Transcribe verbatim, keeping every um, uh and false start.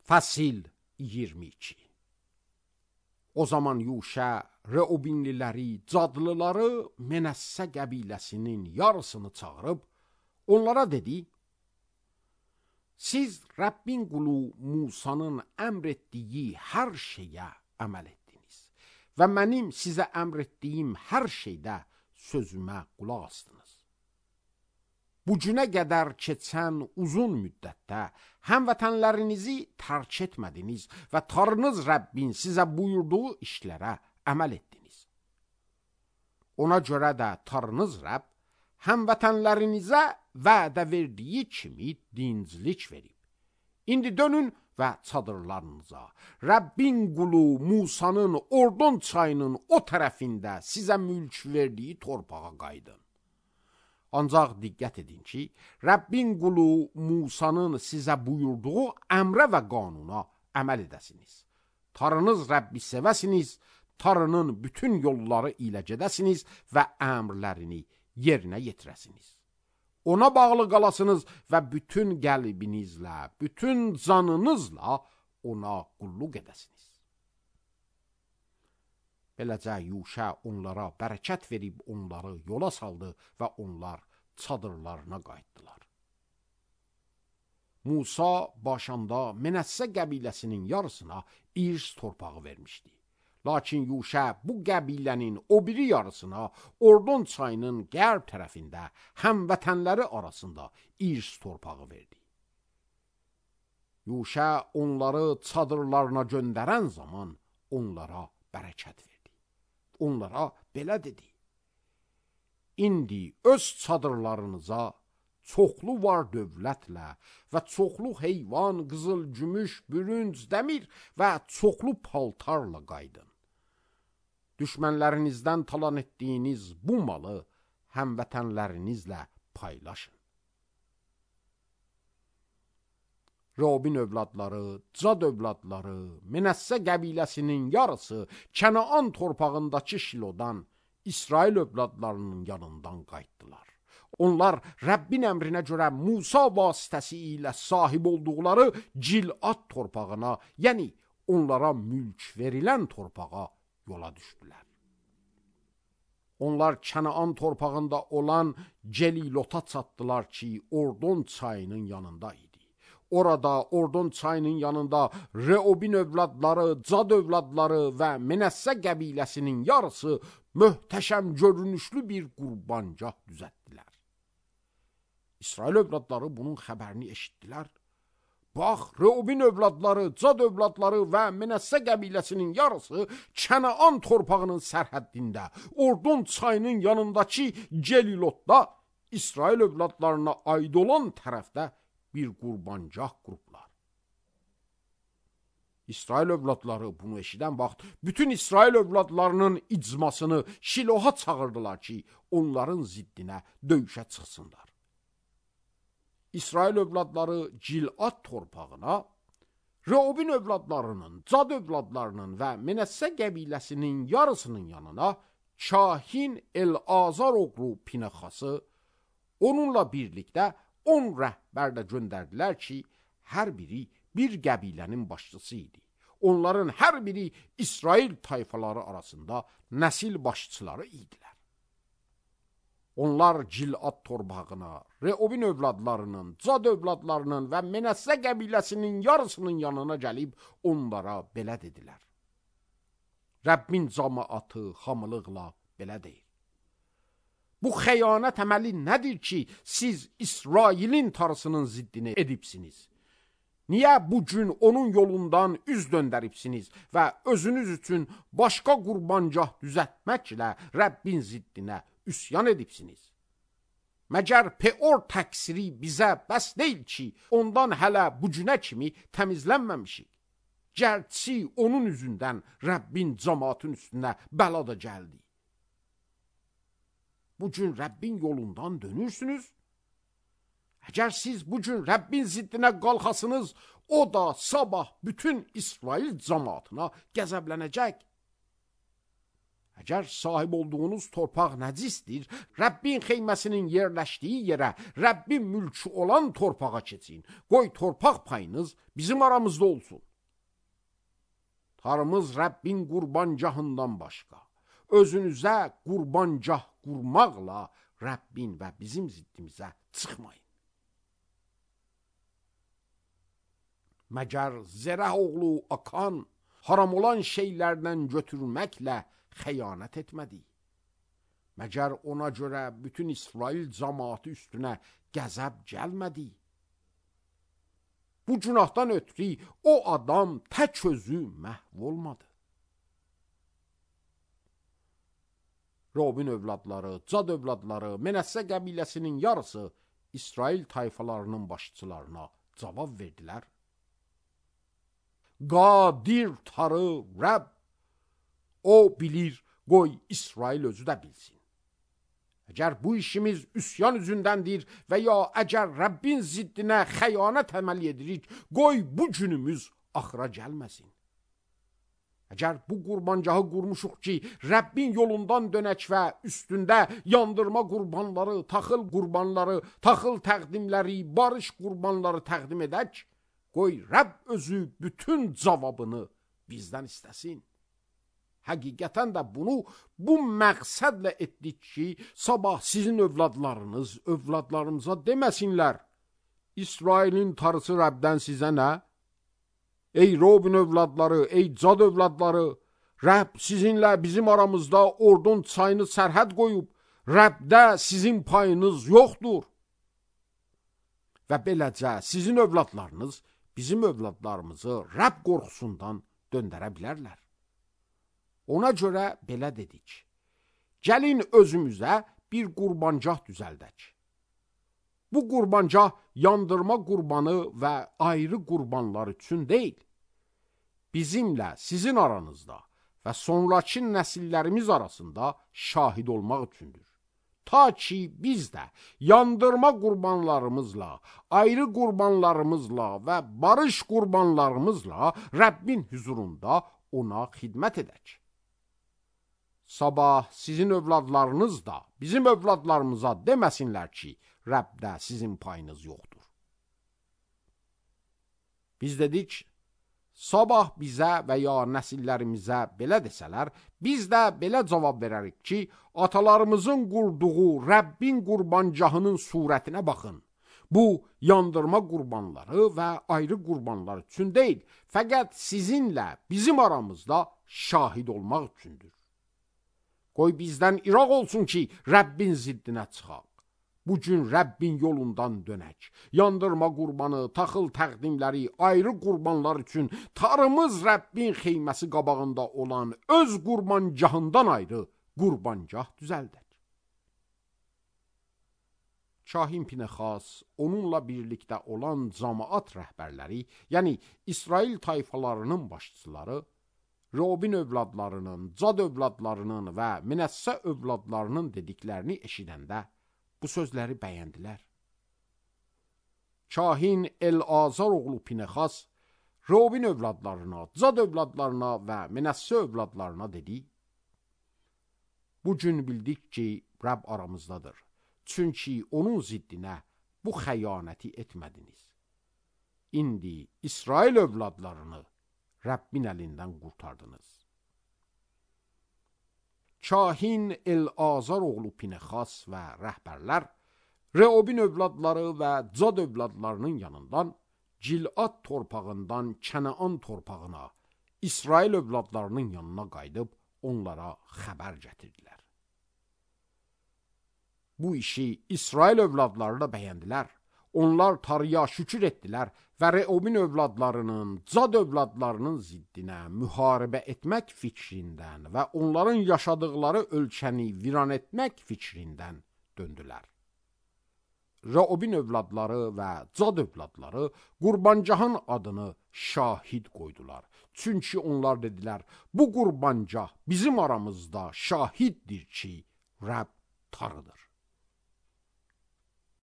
Fəsil iyirmi iki. O zaman Yuşa Reubinliləri, Cadlıları, Menəssə qəbiləsinin yarısını çağırıb, onlara dedi, siz Rəbbin qulu Musanın əmr etdiyi hər şeyə əməl etdiniz və mənim sizə əmr etdiyim hər şeydə sözümə qulaq astınız. Bu günə qədər keçən uzun müddətdə həmvətənlərinizi tərk etmədiniz və Tanrınız Rəbbin sizə buyurduğu işlərə əməl etdiniz. Ona görə də Tanrınız Rəbb həmvətənlərinizə vədə verdiyi kimi dinclik verib. İndi dönün və çadırlarınıza, Rəbbin qulu Musanın Ordon çayının o tərəfində sizə mülk verdiyi torpağa qayıdın. Ancaq diqqət edin ki, Rəbbin qulu Musanın sizə buyurduğu əmrə və qanuna əməl edəsiniz. Tanrınız Rəbbi sevəsiniz, Tanrının bütün yolları ilə gedəsiniz və əmrlərini yerinə yetirəsiniz. Ona bağlı qalasınız və bütün qəlbinizlə, bütün canınızla ona qulluq edəsiniz. Beləcə Yuşa onlara bərəkət verib onları yola saldı və onlar çadırlarına qayıtdılar. Musa başında Menəssə qəbiləsinin yarısına irs torpağı vermişdi. Lakin Yuşa bu qəbilənin o biri yarısına Ordon çayının qərb tərəfində həmvətənləri arasında irs torpağı verdi. Yuşa onları çadırlarına göndərən zaman onlara bərəkət verdi. Onlara belə dedi, İndi öz çadırlarınıza çoxlu var dövlətlə və çoxlu heyvan, qızıl, gümüş, bürünc, dəmir və çoxlu paltarla qaydın. Düşmənlərinizdən talan etdiyiniz bu malı həmvətənlərinizlə paylaşın. Reubin övladları, Cad övladları, Menəssə qəbiləsinin yarısı Kənaan torpağındakı Şilodan İsrail övladlarının yanından qayıtdılar. Onlar Rəbbin əmrinə görə Musa vasitəsilə sahib olduqları Cilad torpağına, yəni onlara mülk verilən torpağa yola düşdülər. Onlar Kənaan torpağında olan Celilota çatdılar ki, Ordon çayının yanında idi. Orada Ordon çayının yanında Reubin övladları, Cad övladları və Menəssə qəbiləsinin yarısı möhtəşəm görünüşlü bir qurbancah düzəltdilər. İsrail övladları bunun xəbərini eşitdilər. Bax, Reubin övladları, Cad övladları və Menəssə qəbiləsinin yarısı Kənaan torpağının sərhəddində, Ordon çayının yanındakı Celilotda İsrail övladlarına aid olan tərəfdə bir qurbancah qurublar. İsrail övladları bunu eşidən vaxt bütün İsrail övladlarının icmasını Şiloha çağırdılar ki, onların ziddinə döyüşə çıxsınlar. İsrail övladları Cilad torpağına, Reubin övladlarının, Cad övladlarının və Menəssə qəbiləsinin yarısının yanına kahin El-Azar oğlu Pinəxası, onunla birlikdə on rəhbər də göndərdilər ki, hər biri bir qəbilənin başçısı idi. Onların hər biri İsrail tayfaları arasında nəsil başçıları idilər. Onlar Cilad torpağına, Reubin övladlarının, Cad övladlarının və Menəssə qəbiləsinin yarısının yanına gəlib onlara belə dedilər. Rəbbin cəmaatı hamılıqla belə deyir. Bu xəyanət əməli nədir ki, siz İsrailin tarısının ziddini edibsiniz? Niyə bugün onun yolundan üz döndəribsiniz və özünüz üçün başqa qurbancah düzəltməklə Rəbbin ziddinə üsyan edibsiniz? Məgər Peor təqsiri bizə bəs deyil ki, ondan hələ bugünə kimi təmizlənməmişik. Gərçi onun üzündən Rəbbin cəmaatın üstünə bəla da gəldi. Bugün Rəbbin yolundan dönürsünüz. Əgər siz bugün Rəbbin ziddinə qalxasınız, o da sabah bütün İsrail cəmaatına qəzəblənəcək. Əgər sahib olduğunuz torpaq nəcisdir, Rəbbin xeyməsinin yerləşdiyi yerə, Rəbbin mülkü olan torpağa keçin. Qoy torpaq payınız bizim aramızda olsun. Tarımız Rəbbin qurbancahından başqa. Özünüzə qurbancah qurmaqla Rəbbin və bizim ziddimizə çıxmayın. Məgər Zərəh oğlu Akan haram olan şeylərdən götürməklə xəyanət etmədi. Məgər ona görə bütün İsrail cəmaatı üstünə qəzəb gəlmədi. Bu günahdan ötürü o adam tək özü məhv olmadı. Robin övladları, Cad övladları, Menəssə qəbiləsinin yarısı İsrail tayfalarının başçılarına cavab verdilər. Qadir tarı Rəbb, o bilir, qoy İsrail özü də bilsin. Əgər bu işimiz üsyan üzündəndir və ya əgər Rəbbin ziddinə xəyanət əməl edirik, qoy bu günümüz axıra gəlməsin. Əgər bu qurbancahı qurmuşuq ki, Rəbbin yolundan dönək və üstündə yandırma qurbanları, taxıl qurbanları, taxıl təqdimləri, barış qurbanları təqdim edək, qoy Rəbb özü bütün cavabını bizdən istəsin. Həqiqətən də bunu bu məqsədlə etdik ki, sabah sizin övladlarınız övladlarımıza deməsinlər, İsrailin tarısı Rəbdən sizə nə? Ey Robin övladları, ey Cad övladları, Rəbb sizinlə bizim aramızda Ordun çayını sərhəd qoyub, Rəbdə sizin payınız yoxdur. Və beləcə sizin övladlarınız bizim övladlarımızı Rəbb qorxusundan döndərə bilərlər. Ona görə belə dedik, gəlin özümüzə bir qurbancah düzəldək. Bu qurbancah yandırma qurbanı və ayrı qurbanlar üçün deyil, bizimlə sizin aranızda və sonraki nəsillərimiz arasında şahid olmaq üçündür. Ta ki biz də yandırma qurbanlarımızla, ayrı qurbanlarımızla və barış qurbanlarımızla Rəbbin huzurunda ona xidmət edək. Sabah sizin övladlarınız da bizim övladlarımıza deməsinlər ki, Rəbdə sizin payınız yoxdur. Biz dedik, sabah bizə və ya nəsillərimizə belə desələr, biz də belə cavab verərik ki, atalarımızın qurduğu Rəbbin qurbancahının surətinə baxın. Bu, yandırma qurbanları və ayrı qurbanlar üçün deyil, fəqət sizinlə bizim aramızda şahid olmaq üçündür. Qoy bizdən iraq olsun ki, Rəbbin ziddinə çıxaq. Bugün Rəbbin yolundan dönək. Yandırma qurbanı, taxıl təqdimləri, ayrı qurbanlar üçün tarımız Rəbbin xeyməsi qabağında olan öz qurbancahından ayrı qurbancah düzəldək. Kahin Pinexas, onunla birlikdə olan cəmaat rəhbərləri, yəni İsrail tayfalarının başçıları, Robin övladlarının, Cad övladlarının və Menəssə övladlarının dediklərini eşidəndə bu sözləri bəyəndilər. Kahin El-Azar oğlu Pinexas, Robin övladlarına, Cad övladlarına və Menəssə övladlarına dedi, bugün bildik ki, Rəbb aramızdadır. Çünki onun ziddinə bu xəyanəti etmədiniz. İndi İsrail övladlarını Rəbbin əlindən qurtardınız. Kahin El-Azar oğlu Pinexas və rəhbərlər Reobin övladları və Cad övladlarının yanından Cilad torpağından Kənaan torpağına, İsrail övladlarının yanına qayıdıb onlara xəbər gətirdilər. Bu işi İsrail övladları da bəyəndilər. Onlar tarıya şükür etdilər və Reobin övladlarının, Cad övladlarının ziddinə müharibə etmək fikrindən və onların yaşadıkları ölkəni viran etmək fikrindən döndülər. Reobin övladları və Cad övladları qurbancahın adını şahid qoydular. Çünki onlar dedilər, bu qurbancah bizim aramızda şahiddir ki, Rəbb tarıdır.